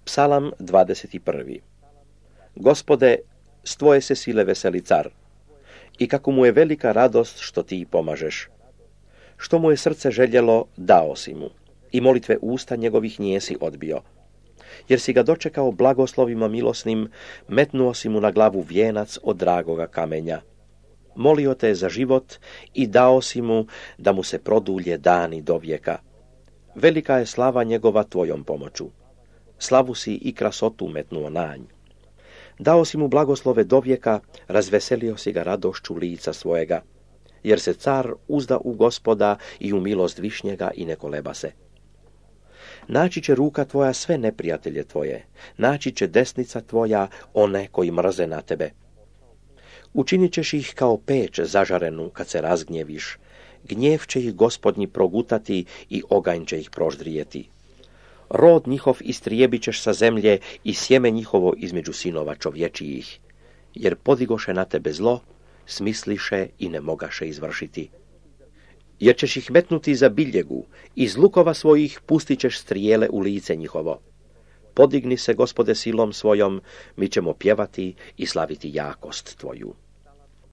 Psalam 21. Gospode, s tvoje se sile veseli car, i kako mu je velika radost što ti pomažeš. Što mu je srce željelo, dao si mu, i molitve usta njegovih nijesi odbio. Jer si ga dočekao blagoslovima milosnim, metnuo si mu na glavu vijenac od dragoga kamenja. Molio te za život i dao si mu da mu se produlje dani do vijeka. Velika je slava njegova tvojom pomoću. Slavu si i krasotu metnuo na nj. Dao si mu blagoslove do vijeka, razveselio si ga radošću lica svojega, jer se car uzda u Gospoda i u milost višnjega i ne koleba se. Naći će ruka tvoja sve neprijatelje tvoje, naći će desnica tvoja one koji mrze na tebe. Učinit ćeš ih kao peć zažarenu kad se razgnjeviš, gnjev će ih Gospodnji progutati i oganj će ih proždrijeti. Rod njihov istrijebit ćeš sa zemlje i sjeme njihovo između sinova čovječijih, jer podigoše na tebe zlo, smisliše i ne mogaše izvršiti. Jer ćeš ih metnuti za biljegu, iz lukova svojih pustit ćeš strijele u lice njihovo. Podigni se, Gospode, silom svojom, mi ćemo pjevati i slaviti jakost tvoju.